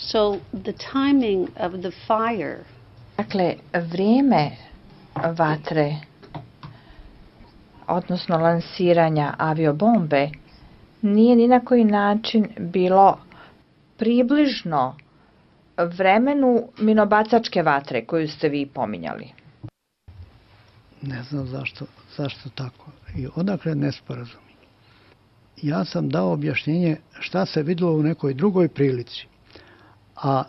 So the timing of the fire. Dakle, vrijeme vatre, odnosno lansiranja aviobombe, nije ni na koji način bilo približno vremenu minobacačke vatre koju ste vi pominjali. Ne znam zašto tako. I odakle nesporazumi. Ja sam dao objašnjenje šta se videlo u nekoj drugoj prilici. A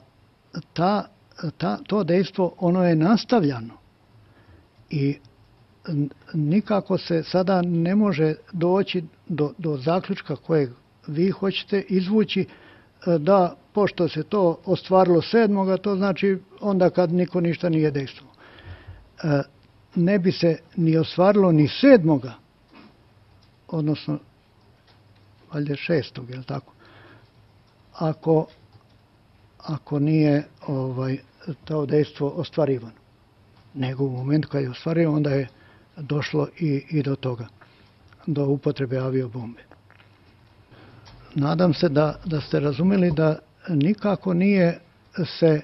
to dejstvo, ono je nastavljano. I nikako se sada ne može doći do zaključka kojeg vi hoćete izvući, da pošto se to ostvarilo 7. to znači onda kad niko ništa nije dejstvovao. Ne bi se ni ostvarilo ni 7. odnosno valjda 6. je li tako? Ako nije to dejstvo ostvarivano. Nego u momentu kad je ostvarivano, onda je došlo i do toga, do upotrebe aviobombe. Nadam se da ste razumeli da nikako nije se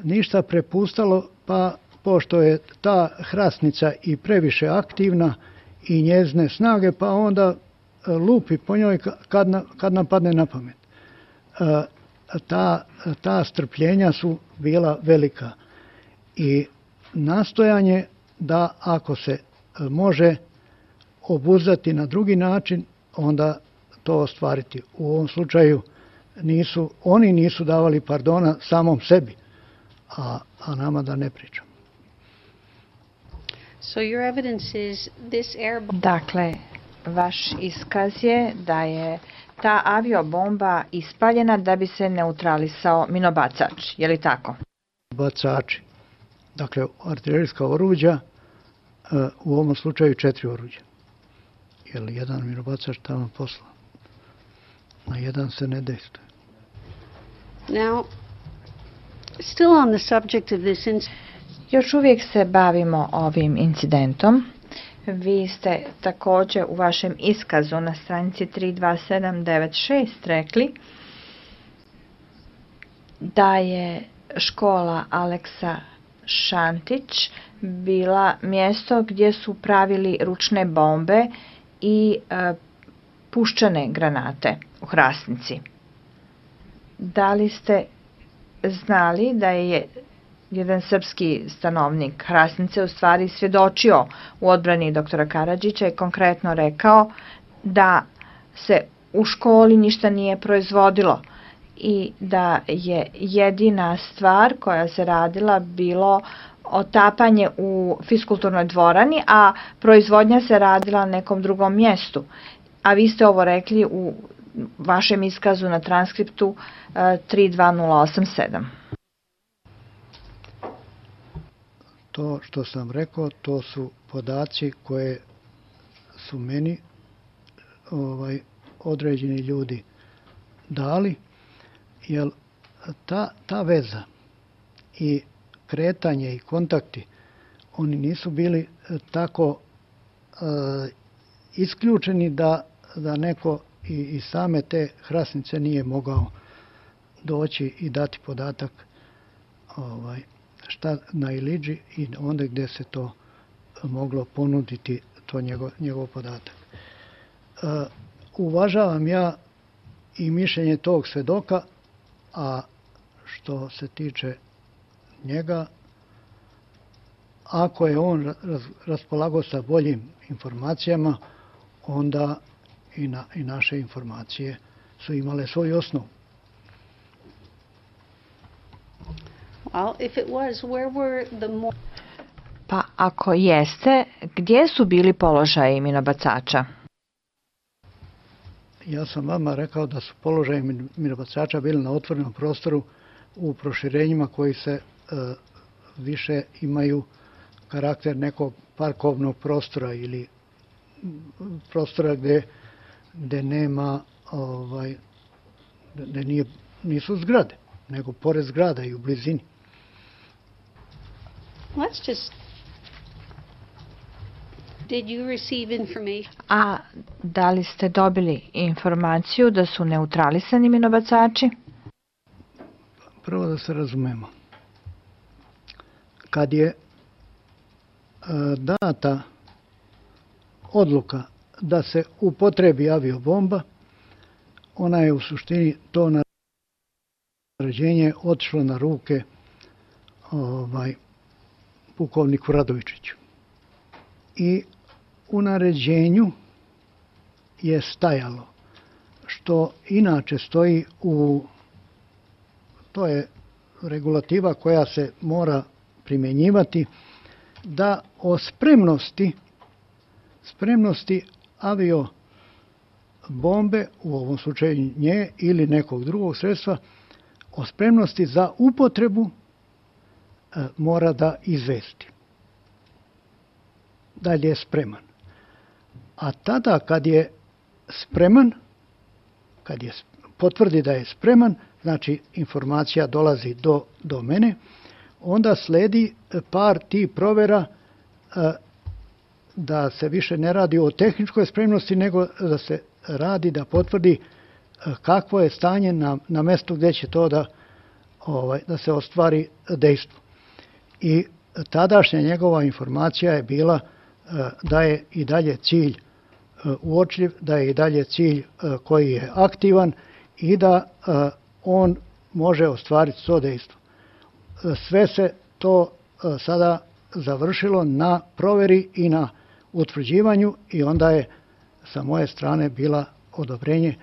ništa prepustalo, pa pošto je ta hrasnica i previše aktivna i njezine snage, pa onda lupi po njoj kad nam padne na pamet. Ta strpljenja su bila velika i nastojanje da ako se može obuzdati na drugi način, onda to ostvariti. U ovom slučaju oni nisu davali pardona samom sebi, a nama da ne pričam. Dakle, vaš iskaz je da je ta aviobomba ispaljena da bi se neutralisao minobacač, je li tako? Bacači. Dakle, artiljerijska oruđa, u ovom slučaju 4 oruđa. Jer jedan minobacač tamo posla. Na jedan se ne dejstvuje. Now, still on the subject of this incident. Još uvijek se bavimo ovim incidentom. Vi ste također u vašem iskazu na stranici 32796 rekli da je škola Aleksa Šantić bila mjesto gdje su pravili ručne bombe i puščane granate u Hrasnici. Da li ste znali da je jedan srpski stanovnik Hrasnice u stvari svjedočio u odbrani doktora Karadžića i konkretno rekao da se u školi ništa nije proizvodilo i da je jedina stvar koja se radila bilo otapanje u fiskulturnoj dvorani, a proizvodnja se radila na nekom drugom mjestu. A vi ste ovo rekli u vašem iskazu na transkriptu 32087. To što sam rekao, to su podaci koje su meni određeni ljudi dali, jer ta veza i kretanje i kontakti, oni nisu bili tako isključeni da neko iz same te Hrasnice nije mogao doći i dati podatak šta na Iliđi i onda gdje se to moglo ponuditi, to njegov podatak. Uvažavam ja i mišljenje tog svedoka, a što se tiče njega, ako je on raspolagao sa boljim informacijama, onda i naše informacije su imale svoj osnov. Pa ako jeste, gdje su bili položaji minobacača? Ja sam vama rekao da su položaji minobacača bili na otvorenom prostoru u proširenjima koji se više imaju karakter nekog parkovnog prostora ili prostora gdje nema, gdje nisu zgrade, nego pored zgrada i u blizini. A da li ste dobili informaciju da su neutralisani minobacači? prvo da se razumemo. Kad je data odluka da se upotrebi aviobomba, ona je u suštini to naređenje otišlo na ruke pukovniku Radovičiću. I u naređenju je stajalo, što inače stoji to je regulativa koja se mora primjenjivati, da o spremnosti aviobombe, u ovom slučaju nje ili nekog drugog sredstva, o spremnosti za upotrebu mora da izvesti. Dalje je spreman. A tada kad je spreman, kad je potvrdi da je spreman, znači informacija dolazi do mene, onda sledi par tih provera da se više ne radi o tehničkoj spremnosti, nego da se radi da potvrdi kakvo je stanje na mestu gdje će to da se ostvari dejstvo. I tadašnja njegova informacija je bila da je i dalje cilj uočljiv, da je i dalje cilj koji je aktivan i da on može ostvariti to dejstvo. Sve se to sada završilo na proveri i na utvrđivanju i onda je sa moje strane bila odobrenje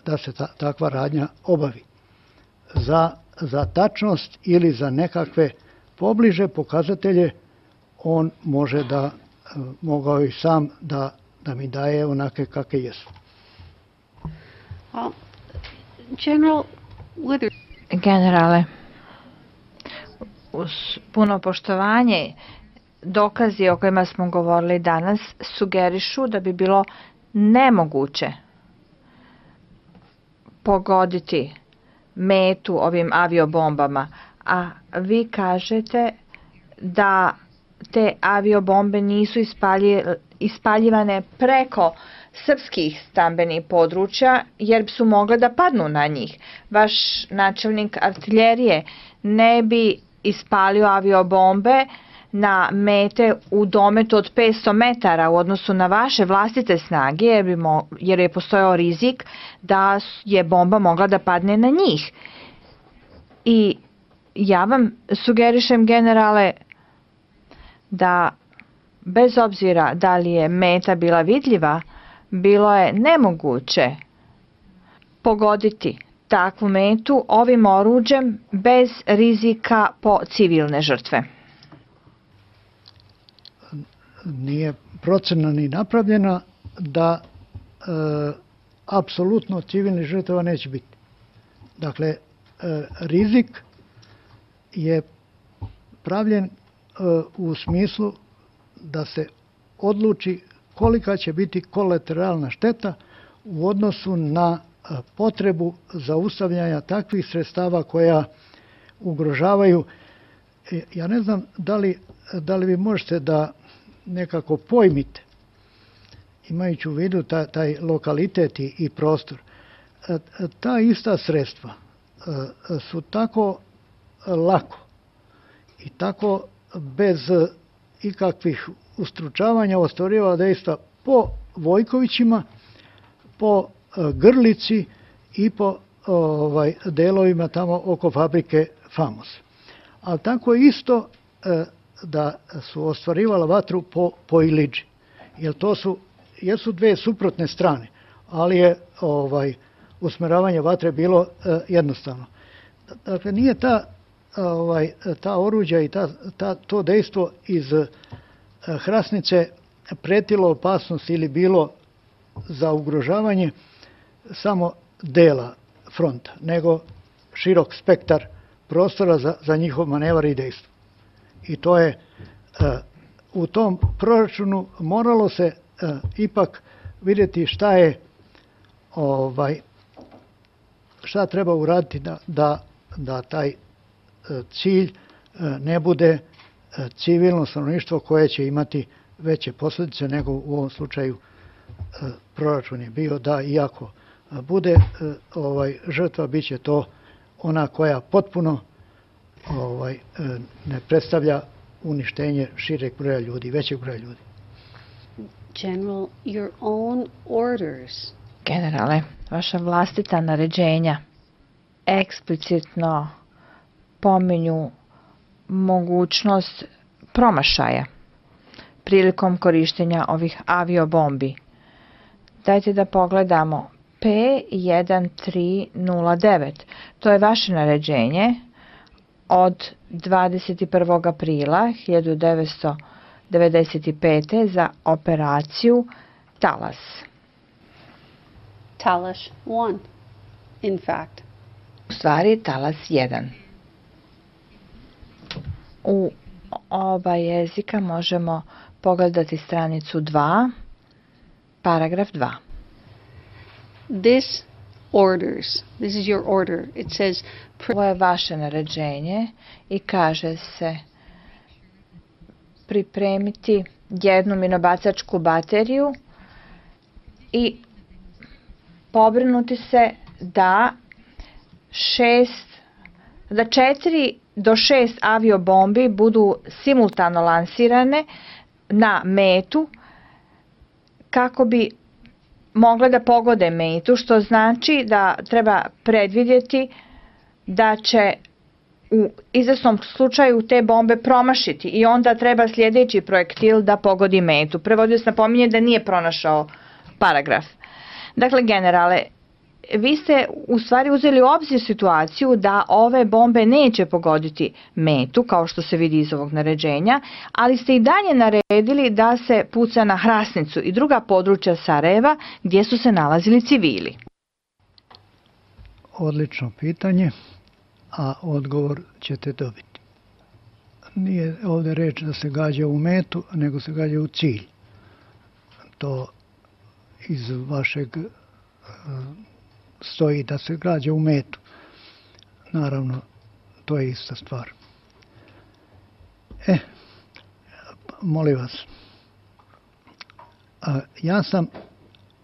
da se takva radnja obavi. Za tačnost ili za nekakve pobliže pokazatelje on može mogao i sam da mi daje onake kakve jesu. Generale, uz puno poštovanje, dokazi o kojima smo govorili danas sugerišu da bi bilo nemoguće pogoditi metu ovim aviobombama, a vi kažete da te aviobombe nisu ispaljivane preko srpskih stambenih područja jer su mogle da padnu na njih. Vaš načelnik artiljerije ne bi ispalio aviobombe na mete u dometu od 500 metara u odnosu na vaše vlastite snage, jer je postojao rizik da je bomba mogla da padne na njih. I ja vam sugerišem, generale, da bez obzira da li je meta bila vidljiva, bilo je nemoguće pogoditi takvu metu ovim oruđem bez rizika po civilne žrtve. Nije procena ni napravljena da apsolutno civilnih žrtava neće biti. Dakle, rizik je pravljen u smislu da se odluči kolika će biti kolateralna šteta u odnosu na potrebu zaustavljanja takvih sredstava koja ugrožavaju. Ja ne znam da li vi možete da nekako pojmite, imajući u vidu taj lokalitet i prostor. Ta ista sredstva su tako lako i tako bez ikakvih ustručavanja ostvarivala dejstva po Vojkovićima, po Grlici i po delovima tamo oko fabrike Famos. Ali tako isto da su ostvarivala vatru po Iliđi. Jer to jesu dve suprotne strane, ali je usmeravanje vatre bilo jednostavno. Dakle, nije ta oruđa i to dejstvo iz Hrasnice pretilo opasnost ili bilo za ugrožavanje samo dela fronta, nego širok spektar prostora za njihov manevar i dejstvo. I to je u tom proračunu moralo se ipak vidjeti šta treba uraditi da taj cilj ne bude civilno stanovništvo koje će imati veće posljedice nego u ovom slučaju proračun je bio da iako bude žrtva, bit će to ona koja potpuno ne predstavlja uništenje šireg broja ljudi, većeg broja ljudi. General, your own orders Generale, vaša vlastita naređenja eksplicitno pominju mogućnost promašaja prilikom korištenja ovih aviobombi. Dajte da pogledamo P1309. To je vaše naređenje od 21. aprila 1995. za operaciju Talas. Talas 1, in fact. U stvari Talas 1. U oba jezika možemo pogledati stranicu 2, paragraf 2. This is your order. It says, Ovo je vaše naređenje i kaže se pripremiti jednu minobacačku bateriju i pobrinuti se da 4 do 6 aviobombi budu simultano lansirane na metu kako bi mogle da pogode metu, što znači da treba predvidjeti da će u izvesnom slučaju te bombe promašiti i onda treba sljedeći projektil da pogodi metu. Prevodioc napominje da nije pronašao paragraf. Dakle, generale, vi ste u stvari uzeli u obzir situaciju da ove bombe neće pogoditi metu, kao što se vidi iz ovog naređenja, ali ste i dalje naredili da se puca na Hrasnicu i druga područja Sarajeva gdje su se nalazili civili. Odlično pitanje, a odgovor ćete dobiti. Nije ovdje reč da se gađa u metu, nego se gađa u cilj. To iz vašeg stoji da se gađa u metu. Naravno, to je ista stvar. Molim vas, ja sam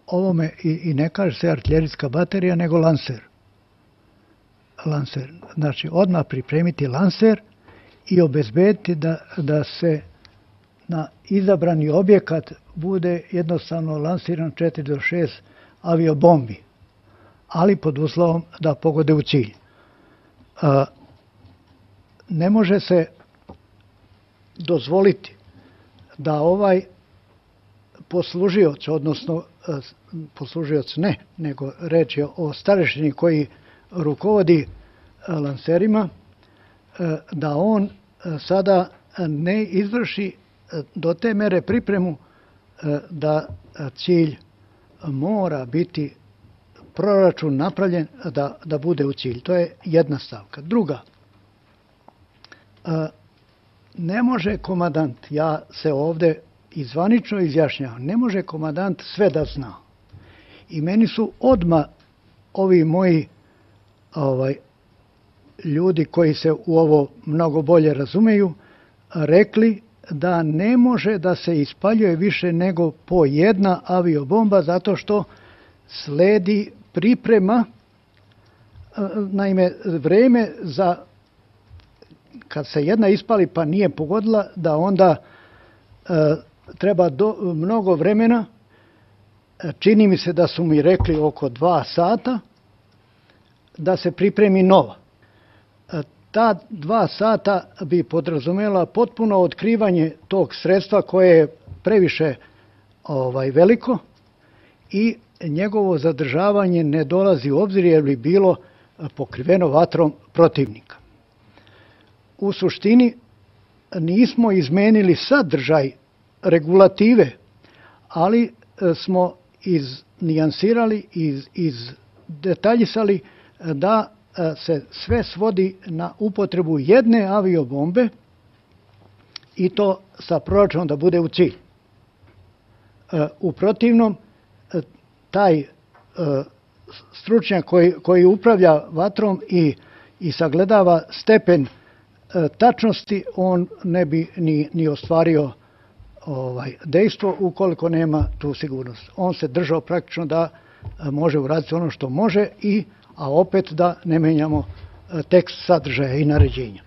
ovome, i ne kaže se artiljerijska baterija, nego lanser. Znači, odmah pripremiti lanser i obezbediti da se na izabrani objekat bude jednostavno lansiran 4 do 6 aviobombi, ali pod uslovom da pogode u cilj. Ne može se dozvoliti da ovaj poslužioc, odnosno poslužioc ne, nego reč je o starešini koji rukovodi lanserima, da on sada ne izvrši do te mere pripremu da cilj mora biti proračun napravljen da bude u cilj. To je jedna stavka. Druga, ne može komandant, ja se ovdje izvanično izjašnjavam, ne može komandant sve da zna. I meni su odmah ovi moji ljudi koji se u ovo mnogo bolje razumeju, rekli da ne može da se ispaljuje više nego po jedna aviobomba zato što sledi priprema, naime vreme za kad se jedna ispali pa nije pogodila, da onda treba mnogo vremena, čini mi se da su mi rekli oko 2 sata, da se pripremi nova. Ta 2 sata bi podrazumela potpuno otkrivanje tog sredstva koje je previše veliko i njegovo zadržavanje ne dolazi u obzir jer bi bilo pokriveno vatrom protivnika. U suštini nismo izmenili sadržaj regulative, ali smo iznijansirali, izdetaljisali da se sve svodi na upotrebu jedne aviobombe i to sa proračunom da bude u cilj. U protivnom, taj stručnjak koji upravlja vatrom i sagledava stepen tačnosti, on ne bi ni ostvario dejstvo ukoliko nema tu sigurnost. On se držao praktično da može uraditi ono što može, a opet da ne menjamo tekst sadržaja i naređenja.